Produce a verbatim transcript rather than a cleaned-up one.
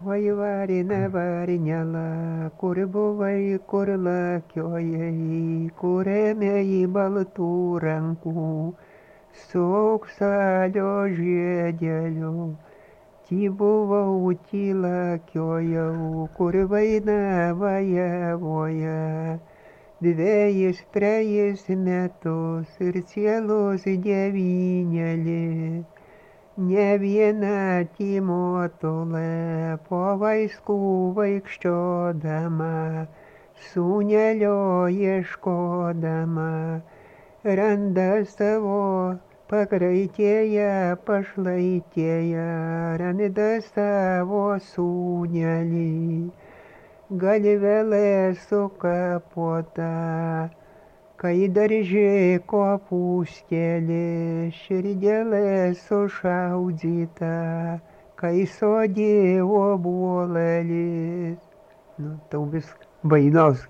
Oi varine varinėla, kur buvai, kur lakiojai, kur ėmėjai baltų rankų, su auksalio žiedeliu. Ty buvau, ty lakiojau, kur vainava javoje, dvejis, trejis metus ir cielos devynėlį. Ne viena tymotulė po vaiskų vaikščiodama, sūnelio ieškodama, randa savo pakraitėje pašlaitėje, randa savo sūnelį, galvelė sukapota. Kai darže kopūstelė, širdelė sušaudyta, kai sodė obuolelis. Nu, tau vis vainos